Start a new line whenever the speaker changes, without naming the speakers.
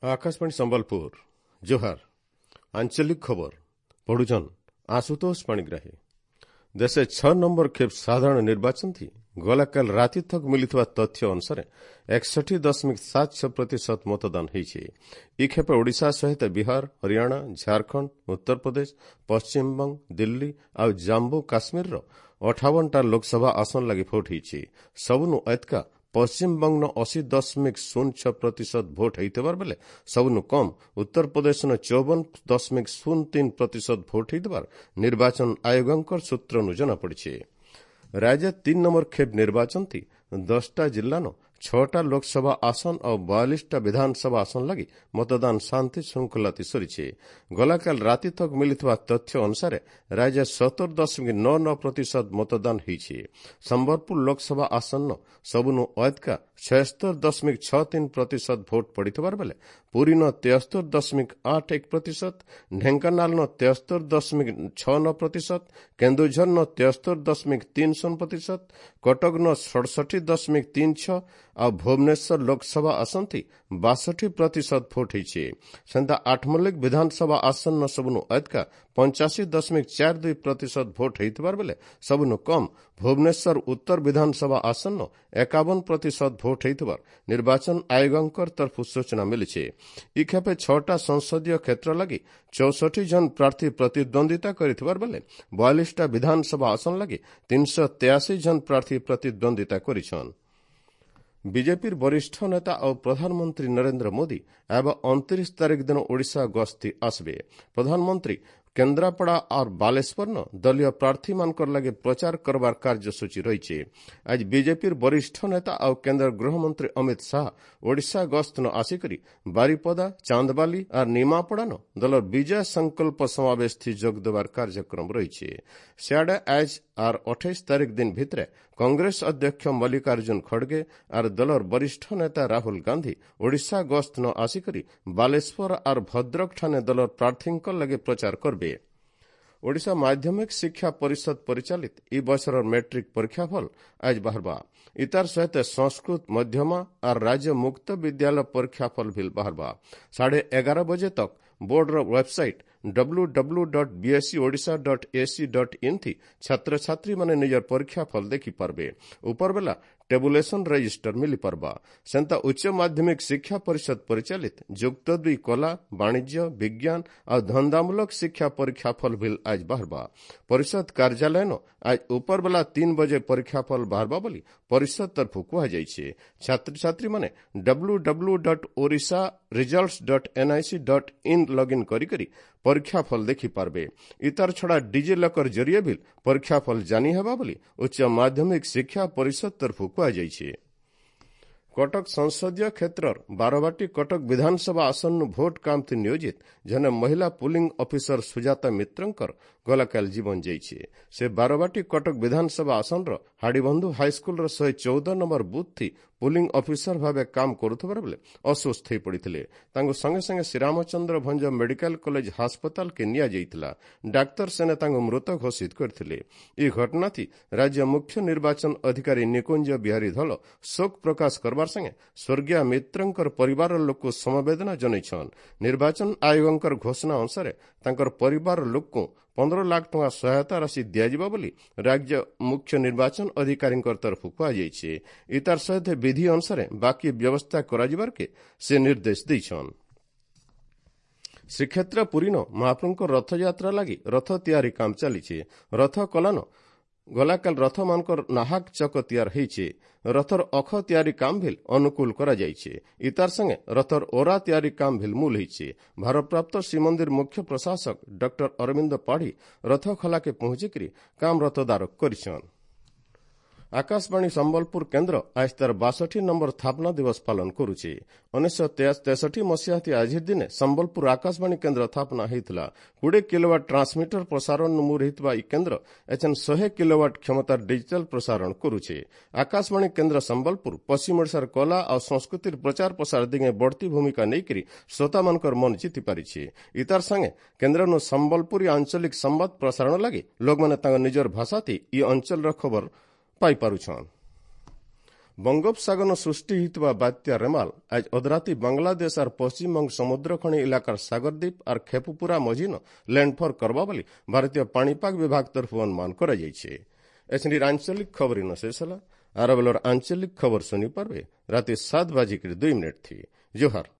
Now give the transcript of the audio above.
ଆକାଶବାଣୀ ସମ୍ବଲପୁର, ଜୁହାର। ଆଞ୍ଚଳିକ ଖବର ପଢୁଛନ୍ ଆଶୁତୋଷ ପାଣିଗ୍ରାହୀ। ଦେଶେ 6 ନମ୍ବର ଖେପ୍ ସାଧାରଣ ନିର୍ବାଚନ ଥି ଗଲାକାଲ ରାତି ତକ ମିଳିଥିବା ତଥ୍ୟ ଅନୁସାରେ 61.76% ମତଦାନ ହୋଇଛି। ଇ ଖେପେ ଓଡ଼ିଶା ସହିତ ବିହାର, ହରିୟାଣା, ଝାଡ଼ଖଣ୍ଡ, ଉତ୍ତରପ୍ରଦେଶ, ପଶ୍ଚିମବଙ୍ଗ, ଦିଲ୍ଲୀ ଆଉ ଜାମ୍ମୁ କାଶ୍ମୀରର 58ଟା ଲୋକସଭା ଆସନ ଲାଗି ଭୋଟ ହୋଇଛି। ସବୁନୁ ଏତକା ପଶ୍ଚିମବଙ୍ଗନ 80.06% ଭୋଟ ହୋଇଥିବାର ବେଲେ ସବୁନୁ କମ୍ ଉତ୍ତରପ୍ରଦେଶନ 54.03% ଭୋଟ ହୋଇଥିବାର ନିର୍ବାଚନ ଆୟୋଗଙ୍କର ସୂତ୍ରନୁ ଜଣାପଡ଼ିଛି। ରାଜ୍ୟ 3 ନମ୍ବର ଖେପ୍ ନିର୍ବାଚନ ଥି 10ଟା ଜିଲ୍ଲାନ 6ଟା ଲୋକସଭା ଆସନ ଆଉ 42ଟା ବିଧାନସଭା ଆସନ ଲାଗି ମତଦାନ ଶାନ୍ତି ଶୃଙ୍ଖଳାତି ସରିଛି। ଗଲାକାଲ ରାତି ତକ ମିଳିଥିବା ତଥ୍ୟ ଅନୁସାରେ ରାଜ୍ୟ 70.99% ମତଦାନ ହୋଇଛି। ସମ୍ବଲପୁର ଲୋକସଭା ଆସନ ସବୁନୁ ଅଏତକା 76.63% ଭୋଟ ପଡ଼ିଥିବାର ବେଲେ ପୁରୀନ 73.81%, ଢେଙ୍କାନାଳନ 73.69%, କେନ୍ଦୁଝରନ 73.30%, କଟକନ 67.36 ଆଉ ଭୁବନେଶ୍ୱର ଲୋକସଭା ଆସନଥି 62% ଭୋଟ ହୋଇଛି। ସେନ୍ତା ଆଠମଲ୍ଲିକ ବିଧାନସଭା ଆସନ ସବୁନୁ ଏତକା 85.42% ଭୋଟ ହୋଇଥିବାର ବେଲେ ସବୁନୁ କମ୍ ଭୁବନେଶ୍ୱର ଉତ୍ତର ବିଧାନସଭା ଆସନ 51% ଭୋଟ ହୋଇଥିବାର ନିର୍ବାଚନ ଆୟୋଗଙ୍କର ତରଫରୁ ସୂଚନା ମିଳିଛି। ଇ ଖେପେ 6ଟା ସଂସଦୀୟ କ୍ଷେତ୍ର ଲାଗି 64 ଜଣ ପ୍ରାର୍ଥୀ ପ୍ରତିଦ୍ୱନ୍ଦିତା କରିଥିବାର ବେଲେ 42ଟା ବିଧାନସଭା ଆସନ ଲାଗି 383 ଜଣ ପ୍ରାର୍ଥୀ ପ୍ରତିଦ୍ୱନ୍ଦିତା କରିଛନ୍। ବିଜେପିର ବରିଷ୍ଠ ନେତା ଆଉ ପ୍ରଧାନମନ୍ତ୍ରୀ ନରେନ୍ଦ୍ର ମୋଦି ଏବେ 29 ତାରିଖ ଦିନ ଓଡ଼ିଶା ଗସ୍ତି ଆସିବେ। ପ୍ରଧାନମନ୍ତ୍ରୀ କେନ୍ଦ୍ରାପଡ଼ା ଆର୍ ବାଲେଶ୍ୱରନ ଦଳୀୟ ପ୍ରାର୍ଥୀମାନଙ୍କର ଲାଗି ପ୍ରଚାର କରବାର କାର୍ଯ୍ୟସୂଚୀ ରହିଛି। ଆଜି ବିଜେପିର ବରିଷ୍ଠ ନେତା ଆଉ କେନ୍ଦ୍ର ଗୃହମନ୍ତ୍ରୀ ଅମିତ ଶାହା ଓଡ଼ିଶା ଗସ୍ତନ ଆସିକରି ବାରିପଦା, ଚାନ୍ଦବାଲି ଆର୍ ନିମାପଡ଼ାନ ଦଳର ବିଜୟ ସଂକଳ୍ପ ସମାବେଶ ଥି ଯୋଗ ଦେବାର କାର୍ଯ୍ୟକ୍ରମ ରହିଛି। ସିଆଡ଼େ ଆଜ ଆର୍ 28 ତାରିଖ ଦିନ ଭିତରେ କଂଗ୍ରେସ ଅଧ୍ୟକ୍ଷ ମଲ୍ଲିକାର୍ଜୁନ ଖଡ଼ଗେ ଆର୍ ଦଳର ବରିଷ୍ଠ ନେତା ରାହୁଲ ଗାନ୍ଧୀ ଓଡ଼ିଶା ଗସ୍ତନ ଆସିକରି ବାଲେଶ୍ୱର ଆର୍ ଭଦ୍ରକ ଠାନେ ଦଳର ପ୍ରାର୍ଥୀଙ୍କ ଲାଗି ପ୍ରଚାର କରିବେ। ଓଡ଼ିଶା ମାଧ୍ୟମିକ ଶିକ୍ଷା ପରିଷଦ ପରିଚାଳିତ ଇ ବର୍ଷର ମେଟ୍ରିକ୍ ପରୀକ୍ଷାଫଳ ଆଜ ବାହାରବା। ଇତାର ସହିତ ସଂସ୍କୃତ ମଧ୍ୟମା ଆର୍ ରାଜ୍ୟ ମୁକ୍ତ ବିଦ୍ୟାଳୟ ପରୀକ୍ଷାଫଳ ଭିଲ୍ ବାହାରବା। 11:30 ବଜେ ତକ୍ ବୋର୍ଡର ୱେବସାଇଟ୍ www.bseodisha.ac.in ଥି ଛାତ୍ରଛାତ୍ରୀମାନେ ନିଜର ପରୀକ୍ଷାଫଳ ଦେଖିପାରବେ। ଉପରବେଲା ଟେବୁଲେସନ ରେଜିଷ୍ଟର ମିଳିପାରବା। ସେନ୍ତା ଉଚ୍ଚ ମାଧ୍ୟମିକ ଶିକ୍ଷା ପରିଷଦ ପରିଚାଳିତ ଯୁକ୍ତ 2 କଲା, ବାଣିଜ୍ୟ, ବିଜ୍ଞାନ ଆଉ ଧନ୍ଦାମୂଳକ ଶିକ୍ଷା ପରୀକ୍ଷାଫଳ ଭିଲ୍ ଆଜ ବାହାରବା। ପରିଷଦ କାର୍ଯ୍ୟାଳୟନ ଆଜ ଉପରବେଲା 3 ବଜେ ପରୀକ୍ଷାଫଳ ବାହାରବା ବୋଲି ପରିଷଦ ତରଫରୁ କୁହାଯାଇଛି। ଛାତ୍ରଛାତ୍ରୀମାନେ www.orisharesults.nic.in login କରିକରି ପରୀକ୍ଷାଫଳ ଦେଖିପାରବେ। ଇତାର ଛଡ଼ା ଡିଜି ଲକର ଜରିଏ ଭିଲ୍ ପରୀକ୍ଷାଫଳ ଜାନି ହେବା ବୋଲି ଉଚ୍ଚ ମାଧ୍ୟମିକ ଶିକ୍ଷା ପରିଷଦ ତରଫରୁ କୁହାଯାଇଛି। କଟକ ସଂସଦୀୟ କ୍ଷେତ୍ରର ବାରବାଟୀ କଟକ ବିଧାନସଭା ଆସନରୁ ଭୋଟ କାମଥି ନିୟୋଜିତ ଜଣେ ମହିଳା ପୁଲିଂ ଅଫିସର ସୁଜାତା ମିତ୍ରଙ୍କର ଗଲାକାଲି ଜୀବନ ଯାଇଛି। ସେ ବାରବାଟୀ କଟକ ବିଧାନସଭା ଆସନର ହାଡ଼ିବନ୍ଧୁ ହାଇସ୍କୁଲର 114 ନମ୍ବର ବୁଥ୍ ଥି ପୁଲିଂ ଅଫିସର ଭାବେ କାମ କରୁଥିବାର ବେଳେ ଅସୁସ୍ଥ ହୋଇପଡ଼ିଥିଲେ। ତାଙ୍କୁ ସଙ୍ଗେ ସଙ୍ଗେ ଶ୍ରୀରାମଚନ୍ଦ୍ର ଭଞ୍ଜ ମେଡିକାଲ କଲେଜ ହାସପତାଲକେ ନିଆଯାଇଥିଲା। ଡାକ୍ତର ସେନେ ତାଙ୍କୁ ମୃତ ଘୋଷିତ କରିଥିଲେ। ଏହି ଘଟଣାଥି ରାଜ୍ୟ ମୁଖ୍ୟ ନିର୍ବାଚନ ଅଧିକାରୀ ନିକୁଞ୍ଜ ବିହାରୀ ଧଳ ଶୋକ ପ୍ରକାଶ କରବାର ସାଙ୍ଗେ ସ୍ୱର୍ଗୀୟ ମିତ୍ରଙ୍କର ପରିବାର ଲୋକକୁ ସମବେଦନା ଜଣାଇଛନ୍। ନିର୍ବାଚନ ଆୟୋଗଙ୍କର ଘୋଷଣା ଅନୁସାରେ ତାଙ୍କର ପରିବାର ଲୋକଙ୍କୁ 15 ଲାଖ ଟଙ୍କା ସହାୟତା ରାଶି ଦିଆଯିବ ବୋଲି ରାଜ୍ୟ ମୁଖ୍ୟ ନିର୍ବାଚନ ଅଧିକାରୀଙ୍କ ତରଫରୁ କୁହାଯାଇଛି। ଇତାର ସହିତ ବିଧି ଅନୁସାରେ ବାକି ବ୍ୟବସ୍ଥା କରାଯିବାରକେ ସେ ନିର୍ଦ୍ଦେଶ ଦେଇଛନ୍। ଶ୍ରୀକ୍ଷେତ୍ର ପୁରୀନ ମହାପ୍ରଭୁଙ୍କ ରଥଯାତ୍ରା ଲାଗି ରଥ ତିଆରି କାମ ଚାଲିଛି। ରଥ କଲାନ ଗଲାକାଲ ରଥମାନଙ୍କର ନାହାକ ଚକ ତିଆର ହେଇଛି। ରଥର ଅଖ ତିଆରି କାମ ଭିଲ୍ ଅନୁକୂଳ କରାଯାଇଛି। ଇତାର ସାଙ୍ଗେ ରଥର ଓରା ତିଆରି କାମ ଭିଲ୍ ମୂଲ ହେଇଛି। ଭାରପ୍ରାପ୍ତ ଶ୍ରୀମନ୍ଦିର ମୁଖ୍ୟ ପ୍ରଶାସକ ଡକ୍ଟର ଅରବିନ୍ଦ ପାଢ଼ୀ ରଥ ଖଲାକେ ପହଞ୍ଚିକରି କାମ ରଥଦାରକ କରିଛନ୍। ଆକାଶବାଣୀ ସମ୍ବଲପୁର କେନ୍ଦ୍ର ଆଜ ତାର 62 ନମ୍ବର ସ୍ଥାପନା ଦିବସ ପାଳନ କରୁଛି। 1963 ମସିହାତି ଆଜିର ଦିନେ ସମ୍ବଲପୁର ଆକାଶବାଣୀ କେନ୍ଦ୍ର ସ୍ଥାପନା ହୋଇଥିଲା। 20 କିଲୋୱାଟ ଟ୍ରାନ୍ସମିଟର ପ୍ରସାରଣ ନମୁର ହୋଇଥିବା ଏହି କେନ୍ଦ୍ର ଏଚେନ୍ 100 କିଲୋୱାଟ କ୍ଷମତାର ଡିଜିଟାଲ ପ୍ରସାରଣ କରୁଛି। ଆକାଶବାଣୀ କେନ୍ଦ୍ର ସମ୍ବଲପୁର ପଶ୍ଚିମ ଓଡ଼ିଶାର କଲା ଆଉ ସଂସ୍କୃତିର ପ୍ରଚାର ପ୍ରସାର ଦିଗେ ବଢ଼ତି ଭୂମିକା ନେଇକରି ଶ୍ରୋତାମାନଙ୍କର ମନ ଜିତି ପାରିଛି। ଇତାର ସାଙ୍ଗେ କେନ୍ଦ୍ରନୁ ସମ୍ବଲପୁରୀ ଆଞ୍ଚଳିକ ସମ୍ବାଦ ପ୍ରସାରଣ ଲାଗି ଲୋକମାନେ ତାଙ୍କ ନିଜର ଭାଷାତି ଇ ଅଞ୍ଚଳର ଖବର ପାଇପାରୁଛନ୍। ବଙ୍ଗୋପସାଗର ସୃଷ୍ଟି ହୋଇଥିବା ବାତ୍ୟା ରେମାଲ ଆଜ ଅଧରାତି ବାଂଲାଦେଶ ଆର୍ ପଶ୍ଚିମବଙ୍ଗ ସମୁଦ୍ରଖଣି ଇଲାକାର ସାଗରଦ୍ୱୀପ ଆର୍ ଖେପୁପୁରା ମଝିନ ଲ୍ୟାଣ୍ଡଫଲ୍ କରବା ବୋଲି ଭାରତୀୟ ପାଣିପାଗ ବିଭାଗ ତରଫରୁ ଅନୁମାନ କରାଯାଇଛି। ଏଛିନିର ଆଞ୍ଚଳିକ ଖବର ଇନ ଶେଷ ହେଲା। ଆର ବେଲର ଆଞ୍ଚଳିକ ଖବର ଶୁଣି ପାରବେ ରାତି 7:02 ଥି। ଜୁହାର।